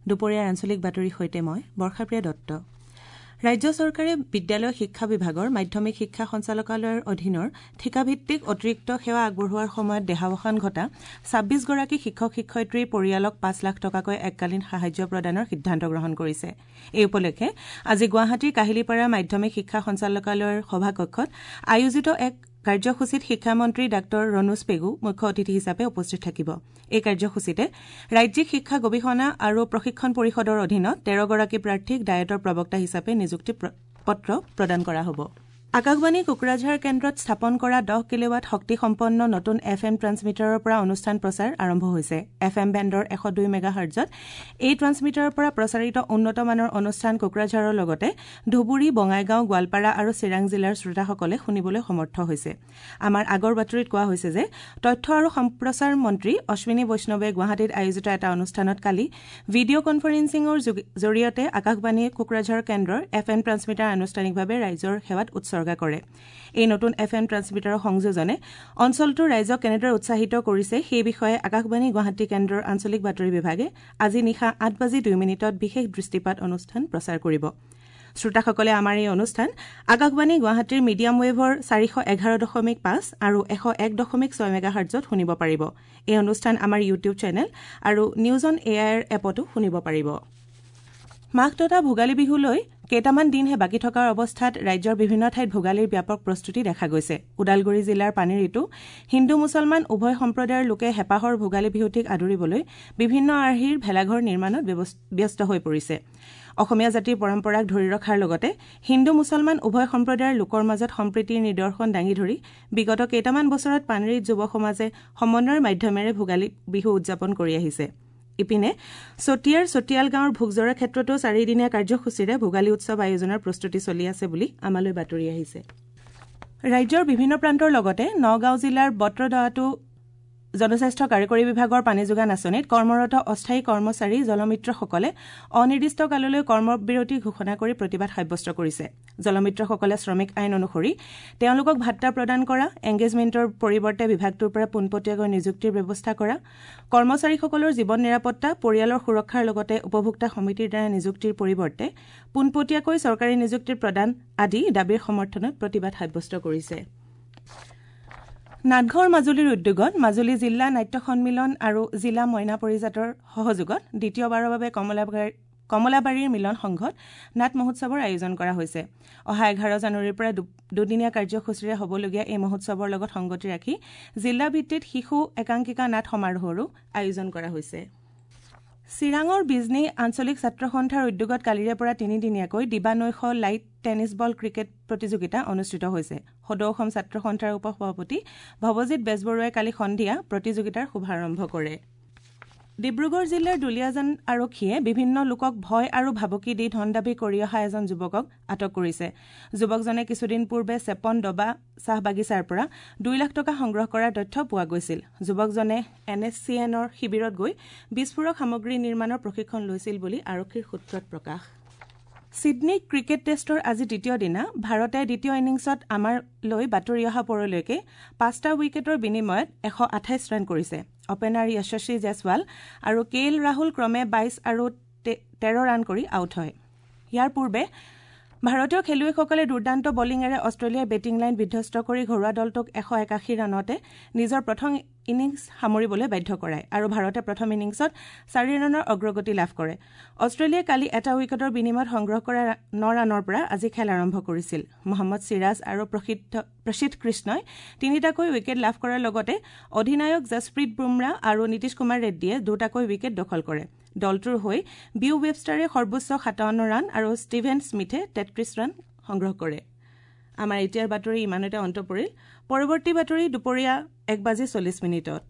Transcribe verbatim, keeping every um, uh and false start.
দুপৰীয়াৰ আঞ্চলিক বাতৰিৰ সৈতে মই বৰ্ষাপ্ৰিয়া দত্ত। ৰাজ্য চৰকাৰে বিদ্যালয় শিক্ষা বিভাগৰ মাধ্যমিক শিক্ষা সঞ্চালকালয়ৰ অধীনৰ ঠিকাভিত্তিক অতিৰিক্ত সেৱা আগবঢ়োৱাৰ সময়ত দেহাৱসান ঘটা ছাব্বিছগৰাকী শিক্ষক শিক্ষয়িত্ৰীৰ পৰিয়ালক পাঁচ লাখ টকাকৈ এককালীন সাহায্য প্ৰদানৰ সিদ্ধান্ত গ্ৰহণ কৰিছে। এই উপলক্ষে আজি গুৱাহাটীৰ কাহিলীপাৰা মাধ্যমিক শিক্ষা সঞ্চালকালয়ৰ সভাকক্ষত আয়োজিত এক কাৰ্যসূচীত শিক্ষামন্ত্ৰী ডাঃ ৰণোজ পেগু মুখ্য অতিথি হিচাপে উপস্থিত থাকিব। এই কাৰ্যসূচীতে ৰাজ্যিক শিক্ষা গৱেষণা আৰু প্ৰশিক্ষণ পৰিষদৰ অধীনত তেৰগৰাকী প্ৰাৰ্থীক ডায়েটৰ প্ৰবক্তা হিচাপে নিযুক্তি পত্ৰ প্ৰদান কৰা হ'ব। আকাশবাণী কোকৰাঝাৰ কেন্দ্ৰত স্থাপন কৰা দহ কিলোৱাট শক্তিসম্পন্ন নতুন এফ এম ট্ৰান্সমিটাৰৰ পৰা অনুষ্ঠান প্ৰচাৰ আৰম্ভ হৈছে। এফ এম বেণ্ডৰ এশ দুই মেগাহাৰ্টজত এই ট্ৰান্সমিটাৰৰ পৰা প্ৰচাৰিত উন্নত মানৰ অনুষ্ঠান কোকৰাঝাৰৰ লগতে ধুবুৰী, বঙাইগাঁও, গোৱালপাৰা আৰু চিৰাং জিলাৰ শ্ৰোতাসকলে শুনিবলৈ সমৰ্থ হৈছে। আমাৰ আগৰ বাতৰিত কোৱা হৈছে যে তথ্য আৰু সম্প্ৰচাৰ মন্ত্ৰী অশ্বিনী বৈষ্ণৱে গুৱাহাটীত আয়োজিত এটা অনুষ্ঠানত কালি ভিডিঅ' কনফাৰেন্সিঙৰ জৰিয়তে আকাশবাণী কোকৰাঝাৰ কেন্দ্ৰৰ এফ এম ট্ৰান্সমিটাৰ আনুষ্ঠানিকভাৱে ৰাইজৰ সেৱাত উৎসৰ্গা কৰে। এই নতুন এফ এম ট্ৰান্সমিটাৰৰ সংযোজনে অঞ্চলটোৰ ৰাইজক কেনেদৰে উৎসাহিত কৰিছে সেই বিষয়ে আকাশবাণী গুৱাহাটী কেন্দ্ৰৰ আঞ্চলিক বাতৰি বিভাগে আজি নিশা আঠ বাজি দুই মিনিটত বিশেষ দৃষ্টিপাত অনুষ্ঠান প্ৰচাৰ কৰিব। শ্ৰোতাসকলে আমাৰ এই অনুষ্ঠান আকাশবাণী গুৱাহাটীৰ মিডিয়াম ৱেভৰ চাৰিশ এঘাৰ দশমিক পাঁচ আৰু এশ এক দশমিক ছয় মেগাহাৰ্টজত শুনিব পাৰিব। এই অনুষ্ঠান আমাৰ ইউটিউব চেনেল আৰু নিউজ অন এ আইৰ এপতো শুনিব পাৰিব। মাঘ তথা ভোগালী বিহুলৈ কেইটামান দিনহে বাকী থকাৰ অৱস্থাত ৰাজ্যৰ বিভিন্ন ঠাইত ভোগালীৰ ব্যাপক প্ৰস্তুতি দেখা গৈছে। ওদালগুৰি জিলাৰ পানীৰিতো হিন্দু মুছলমান উভয় সম্প্ৰদায়ৰ লোকে হেঁপাহৰ ভোগালী বিহুটিক আদৰিবলৈ বিভিন্ন আৰ্হিৰ ভেলাঘৰ নিৰ্মাণত ব্যস্ত হৈ পৰিছে। অসমীয়া জাতিৰ পৰম্পৰাক ধৰি ৰখাৰ লগতে হিন্দু মুছলমান উভয় সম্প্ৰদায়ৰ লোকৰ মাজত সম্প্ৰীতিৰ নিদৰ্শন দাঙি ধৰি বিগত কেইটামান বছৰত পানেৰীত যুৱ সমাজে সমন্বয়ৰ মাধ্যমেৰে ভোগালী বিহু উদযাপন কৰি আহিছে। ইপিনে চতিয়াৰ চতিয়াল গাঁৱৰ ভোগজৰা ক্ষেত্ৰতো চাৰিদিনীয়া কাৰ্যসূচীৰে ভোগালী উৎসৱ আয়োজনৰ প্ৰস্তুতি চলি আছে বুলি আমালৈ বাতৰি আহিছে। ৰাজ্যৰ বিভিন্ন প্ৰান্তৰ লগতে নগাঁও জিলাৰ বটদ্ৰৱাতো জনস্বাস্থ্য কাৰিকৰী বিভাগৰ পানী যোগান আঁচনিত কৰ্মৰত অস্থায়ী কৰ্মচাৰী জলমিত্ৰসকলে অনিৰ্দিষ্টকাললৈ কৰ্মবিৰতি ঘোষণা কৰি প্ৰতিবাদ সাব্যস্ত কৰিছে। জলমিত্ৰসকলে শ্ৰমিক আইন অনুসৰি তেওঁলোকক ভাট্টা প্ৰদান কৰা, এংগেজমেণ্টৰ পৰিৱৰ্তে বিভাগটোৰ পৰা পোনপটীয়াকৈ নিযুক্তিৰ ব্যৱস্থা কৰা, কৰ্মচাৰীসকলৰ জীৱন নিৰাপত্তা, পৰিয়ালৰ সুৰক্ষাৰ লগতে উপভোক্তা সমিতিৰ দ্বাৰা নিযুক্তিৰ পৰিৱৰ্তে পোনপটীয়াকৈ চৰকাৰী নিযুক্তি প্ৰদান আদি দাবীৰ সমৰ্থনত প্ৰতিবাদ সাব্যস্ত কৰিছে। নাটঘৰ মাজুলীৰ উদ্যোগত মাজুলী জিলা নাট্য সন্মিলন আৰু জিলা মইনা পৰিজাতৰ সহযোগত দ্বিতীয়বাৰৰ বাবে কমলাবাৰীৰ মিলন সংঘত নাট মহোৎসৱৰ আয়োজন কৰা হৈছে। অহা এঘাৰ জানুৱাৰীৰ পৰা দুদিনীয়া কাৰ্যসূচীৰে হ'বলগীয়া এই মহোৎসৱৰ লগত সংগতি ৰাখি জিলা ভিত্তিত শিশু একাংকিকা নাট সমাৰোহৰো আয়োজন কৰা হৈছে। চিৰাঙৰ বিজনী আঞ্চলিক ছাত্ৰ সন্থাৰ উদ্যোগত কালিৰে পৰা তিনিদিনীয়াকৈ দিবা নৈশ লাইট টেনিছ বল ক্ৰিকেট প্ৰতিযোগিতা অনুষ্ঠিত হৈছে। সদৌ অসম ছাত্ৰ সন্থাৰ উপ সভাপতি ভৱজিৎ বেজবৰুৱাই কালি সন্ধিয়া প্ৰতিযোগিতাৰ শুভাৰম্ভ কৰে। ডিব্ৰুগড় জিলাৰ দুলীয়াজান আৰক্ষীয়ে বিভিন্ন লোকক ভয় আৰু ভাবুকি দি ধন দাবী কৰি অহা এজন যুৱকক আটক কৰিছে। যুৱকজনে কিছুদিন পূৰ্বে চেপন ডবা চাহ বাগিচাৰ পৰা দুই লাখ টকা সংগ্ৰহ কৰাৰ তথ্য পোৱা গৈছিল। যুৱকজনে এন এছ চি এনৰ শিবিৰত গৈ বিস্ফোৰক সামগ্ৰী নিৰ্মাণৰ প্ৰশিক্ষণ লৈছিল বুলি আৰক্ষীৰ সূত্ৰত প্ৰকাশ। ছিডনী ক্ৰিকেট টেষ্টৰ আজি দ্বিতীয় দিনা ভাৰতে দ্বিতীয় ইনিংছত আমালৈ বাতৰি অহা পৰলৈকে পাঁচটা উইকেটৰ বিনিময়ত এশ আঠাইছ ৰান কৰিছে। অপেনাৰ যশস্বী জয়ছৱাল আৰু কে এল ৰাহুল ক্ৰমে বাইছ আৰু তেৰ ৰান কৰি আউট হয়। ইয়াৰ পূৰ্বে ভাৰতীয় খেলুৱৈসকলে দুৰ্দান্ত বলিঙেৰে অষ্ট্ৰেলিয়াৰ বেটিং লাইন বিধ্বস্ত কৰি ঘৰুৱা দলটোক এশ একাশী ৰানতে নিজৰ প্ৰথম ইনিংছ সামৰিবলৈ বাধ্য কৰায় আৰু ভাৰতে প্ৰথম ইনিংছত চাৰি ৰানৰ অগ্ৰগতি লাভ কৰে। অষ্ট্ৰেলিয়াই কালি এটা উইকেটৰ বিনিময়ত সংগ্ৰহ কৰা ন ৰানৰ পৰা আজি খেল আৰম্ভ কৰিছিল। মহম্মদ চিৰাজ আৰু প্ৰসিদ্ধ কৃষ্ণই তিনিটাকৈ উইকেট লাভ কৰাৰ লগতে অধিনায়ক জছপ্ৰীত বুমৰাহ আৰু নীতিশ কুমাৰ ৰেড্ডীয়ে দুটাকৈ উইকেট দখল কৰে। দলটোৰ হৈ বিউ ৱেবষ্টাৰে সৰ্বোচ্চ সাতাৱন্ন ৰান আৰু ষ্টিভেন স্মিথে তেত্ৰিশ ৰান সংগ্ৰহ কৰে। আমাৰ এতিয়াৰ বাতৰি ইমানতে অন্ত পৰিল। পৰৱৰ্তী বাতৰি দুপৰীয়া এক বাজি চল্লিছ মিনিটত।